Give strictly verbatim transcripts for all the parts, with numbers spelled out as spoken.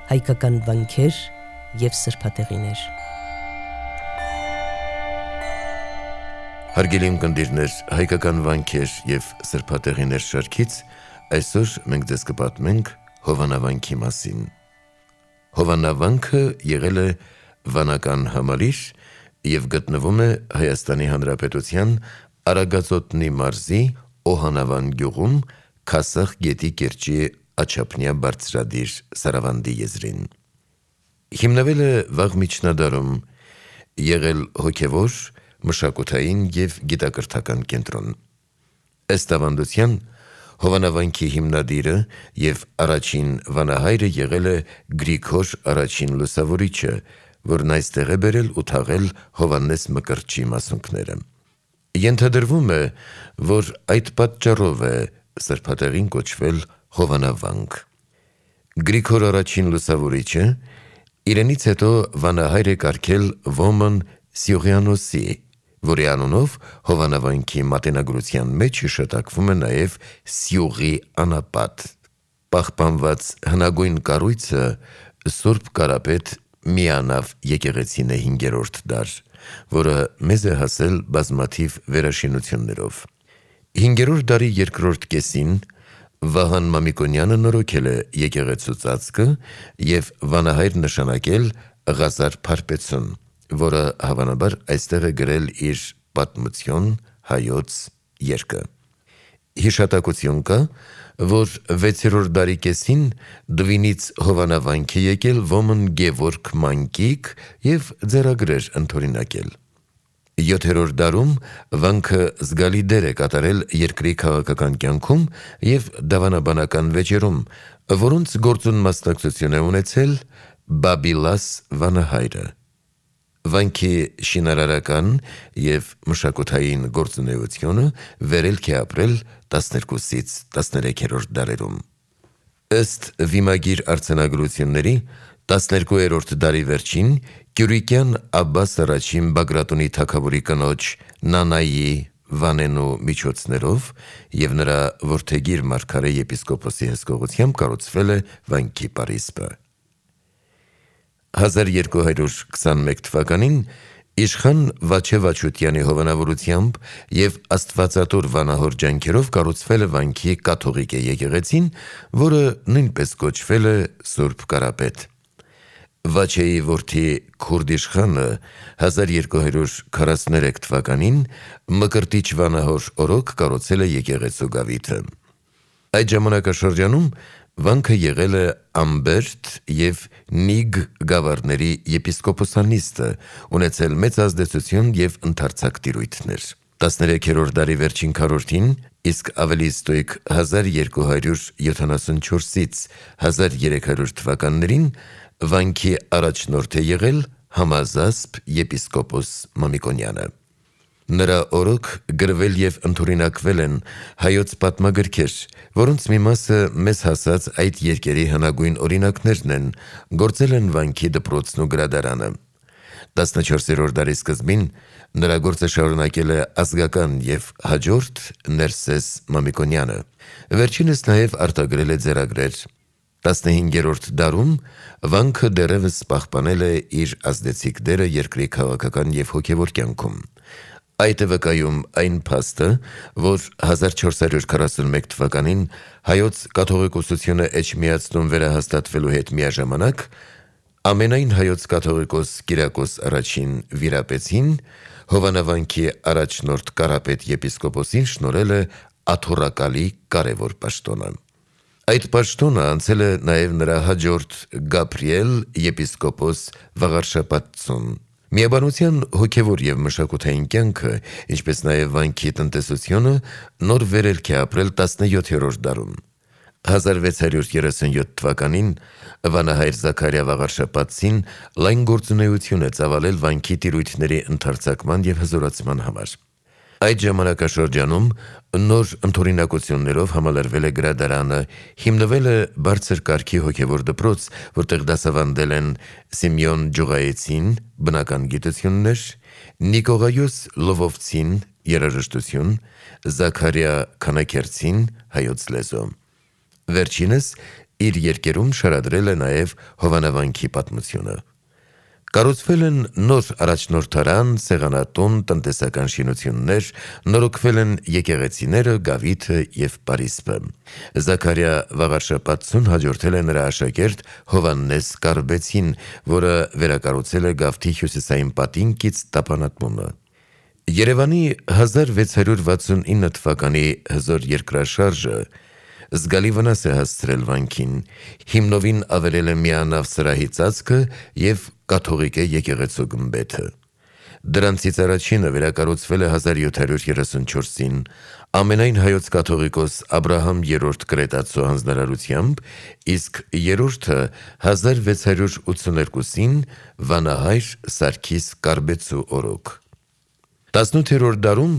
հայկական վանքեր և սրբատեղիներ։ Հարգելի ունկնդիրներ, հայկական վանքեր և սրբատեղիներ շարքից այսօր մենք ձեզ կպատմենք Հովանավանքի մասին։ Հովանավանքը եղել է վանական համալիր և գտնվում է Հայաստանի Հանրապետության Արագածոտնի մարզի Օհանավան գյուղում Քասախ գետի կիրճի աջափնյա բարձրադիր Սարավանդի եզրին։ Հիմնվել է վաղ միջնադարում, եղել հոգևոր, մշակութային և գիտակրթական կենտրոն։ Ըստ ավանդության, Հովանավանքի հիմնադիրը և առաջին վանահայրը եղել է Գրիգոր առաջին Լուսավորիչը, որն այստեղ է բերել ու թաղել Հովհաննես Մկրտչի մասունքները։ Ենթադրվում է, որ այդ պատճառով է սրբատեղին կոչվել Հովանավանք։ Գրիգոր առաջին Լուսավորիչը իրենից հետո վանահայր է կարգել Ոմն Սիուղիանոսի, որի անունով Հովանավանքի մատենագրության մեջ հիշատակվում է նաև Սիուղի անապատ։ Պահպանված հնագույն կառույցը Սուրբ Կարապետ միանավ եկեղեցին է հինգերորդ դար, որը մեզ է հասել բազմաթիվ վերաշինություններով։ Հինգերորդ դարի երկրորդ կեսին Վահան Մամիկոնյանը նորոգել է եկեղեցու ծածկը և վանահայր նշանակել Ղազար Փարպեցուն, որը հավանաբար այստեղ է գրել իր «Պատմություն հայոց» երգը։ Հիշատակություն կա, որ վեցերորդ դարի կեսին Դվինից Հովանավանք է եկել Ոմն Գևորգ Մանկիկ և ձեռագրեր ընդօրինակել։ Յոթերորդ դարում վանքը զգալի դեր է կատարել երկրի քաղաքական կյանքում և դավանաբանական վեճերում, որոնց գործուն մասնակցություն է ունեցել Բաբիլաս վանահայրը։ Վանքի շինարարական և մշակութային գործունեությունը վերելք է ապրել տասներկուսից տասներեքերորդ դարերում։ Ըստ վիմագիր արձանագրությունների, տասներկուերորդ դարի վերջին Կյուրիկյան Աբբաս առաջին Բագրատունի թագավորի կնոջ Նանայի Վանենու միջոցներով և նրա որդեգիր մարգարե եպիսկոպոսի հսկողությամբ կառուցվել է վանքի պարիսպը։ հազար երկու հարյուր քսաներեք թվականին իշխան Վաչե Վաչուտյանի հովանավորությամբ և աստվածատուր վանահոր ջանքերով կառուցվել է վանքի կաթողիկե եկեղեցին, որը նույնպես կոչվել է Սուրբ Կարապետ։ Վաչեի որդի Քուրդ իշխանը հազար երկու հարյուր քառասուներեք թվականին Մկրտիչ վանահոր օրոք կառուցել է եկեղեցու գավիթը։ Այդ ժամանակաշրջանում վանքը եղել է Ամբերդ և Նիգ գավառների եպիսկոպոսանիստը, ունեցել մեծ ազդեցություն և ընդարձակ տիրույթներ։ տասներեքերորդ դարի վերջին քառորդին, իսկ ավելի ստույգ հազար երկու հարյուր յոթանասունչորսից հազար երեք հարյուր թվականներին վանքի առաջնորդ է եղել Համազասպ եպիսկոպոս Մամիկոնյանը։ Նրա օրոք գրվել և ընդօրինակվել են հայոց պատմագրքեր, որոնց մի մասը մեզ հասած այդ երկերի հնագույն օրինակներն են, գործել են վանքի դպրոցն ու գրադարանը։ տասնչորսերորդ դարի սկզբին նրա գործը շարունակել է ազգական և հաջորդ Ներսես Մամիկոնյանը։ Վերջինս նաև արտագրել է ձեռագրեր։ տասնհինգերորդ դարում վանքը դեռևս պահպանել է իր ազդեցիկ դերը երկրի քաղաքական և հոգևոր կյանքում։ Այդ է վկայում այն փաստը, որ հազար չորս հարյուր քառասունմեկ թվականին հայոց կաթողիկոսությունը էջմիածնում վերահաստատվելու հետ միաժամանակ ամենայն հայոց կաթողիկոս Կիրակոս առաջին վիրապետին Հովանավանքի առաջնորդ Կարապետ եպիսկոպոսին շնորհել է աթոռակալի կարևոր պաշտոնը։ Այդ պաշտոնը անցել է նաև նրա հաջորդ Գաբրիել եպիսկոպոս Վաղարշապատցուն։ Միաբանության հոգևոր և մշակութային կյանքը, ինչպես նաև վանքի տնտեսությունը նոր վերելք է ապրել տասնյոթերորդ դարում։ հազար վեց հարյուր երեսունյոթ թվականին վանահայր Զաքարիա Վաղարշապատցին լայն գործունեություն է ծավալել վանքի տիրույթների ընդարձակման և հզորացման համար։ Այդ ժամանակաշրջանում նոր ընդօրինակություններով համալրվել է գրադարանը, հիմնվել է բարձր կարգի հոգևոր դպրոց, որտեղ դասավանդել են Սիմեոն Ջուղայեցին բնական գիտություններ, Նիկողայոս Լովովցին երաժշտություն, Զաքարիա Քանաքերցին հայոց լեզու։ Վերջինս իր երկերում շարադրել է նաև Հովանավանքի պատմությունը։ Կառուցվել են նոր առաջնորդարան, սեղանատուն, տնտեսական շինություններ, նորոգվել են եկեղեցիները, գավիթը և պարիսպը։ Զաքարիա Վաղարշապատցուն հաջորդել է նրա աշակերտ Հովհաննես Կարբեցին, որը վերակառուցել է Գավթի հյուսիսային պատինկից տապանատունը։ Երևանի հազար վեց հարյուր վաթսունինը թվականի հզոր երկրաշարժը զգալի վնաս է հասցրել վանքին, հիմնովին ավերել է միանավ սրահի ծածկը և կաթողիկե եկեղեցու գմբեթը։ Դրանցից առաջինը վերակառուցվել է հազար յոթ հարյուր երեսունչորսին ամենայն հայոց կաթողիկոս Աբրահամ երրորդ Կրետացու հանձնարարությամբ, իսկ երրորդը հազար վեց հարյուր ութսուներկուսին վանահայր Սարգիս Կարբեցու օրոք։ տասնութերորդ դարում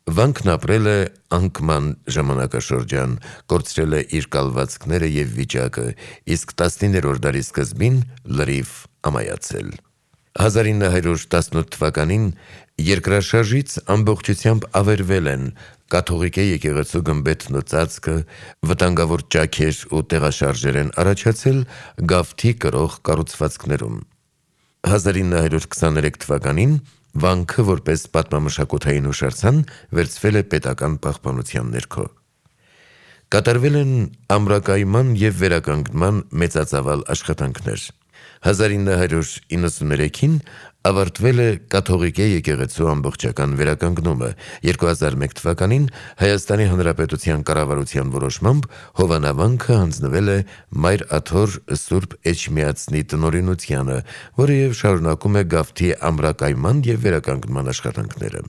վանքն ապրել է անկման ժամանակաշրջան, կորցրել է իր կալվածքները և վիճակը, իսկ տասնիններորդ դարի սկզբին լրիվ ամայացել։ հազար ինը հարյուր տասնութ թվականին երկրաշարժից ամբողջությամբ ավերվել են կաթողիկե եկեղեցու գմբեթն ու ծածկը, վտանգավոր ճաքեր ու տեղաշարժեր են առաջացել Գավթի կրող կառուցվածքներում։ հազար ինը հարյուր քսաներեք թվականին վանքը որպես պատմամշակութային հուշարձան վերցվել է պետական պահպանության ներքո։ Կատարվել են ամրակայման և վերականգնման մեծածավալ աշխատանքներ։ հազար ինը հարյուր իննսուներեքին ավարտվել է կաթողիկե եկեղեցու ամբողջական վերականգնումը, երկու հազար մեկ թվականին Հայաստանի Հանրապետության կառավարության որոշմամբ Հովանավանքը հանձնվել է Մայր Աթոր Սուրբ Էջմիածնի տնօրինությանը, որը և շարունակում է Գավթի ամրակայման և վերականգնման աշխատանքները։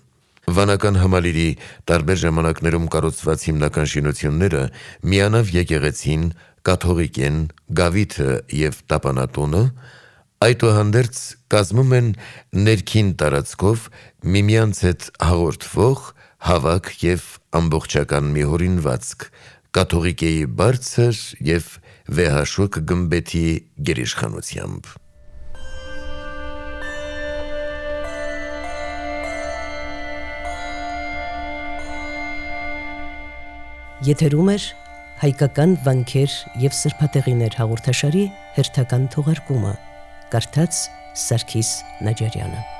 Վանական համալիրի տարբեր ժամանակներում կառուցված հիմնական շինությունները միանավ եկեղեցին, կաթողիկեն, գավիթը և տապանատունը այդուհանդերձ կազմում են ներքին տարածքով միմյանց հետ հաղորդվող հավաք և ամբողջական մի հորինվածք կաթողիկեի բարձր և վեհաշուք գմբեթի գերիշխանությամբ։ Եթերում էր հայկական վանքեր և սրբատեղիներ հաղորդաշարի հերթական թողարկումը, կարդաց Սարգիս Նաջարյանը։